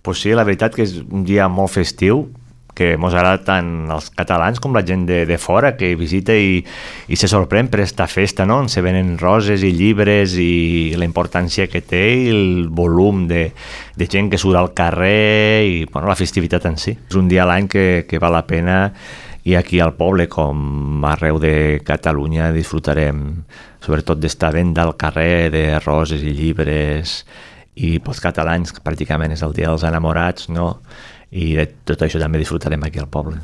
Pues sí, la veritat que és un dia molt festiu, que mos agrada tant els catalans com la gent de fora, que visita i se sorprèn per esta festa, no? On se venen roses i llibres i la importància que té i el volum de gent que surt al carrer i bueno, la festivitat en si. És un dia a l'any que val la pena i aquí al poble, com arreu de Catalunya, disfrutarem sobretot d'estar venda al carrer de roses i llibres i pels catalans pràcticament és el dia dels enamorats, no? I de tot això també disfrutarem aquí al poble.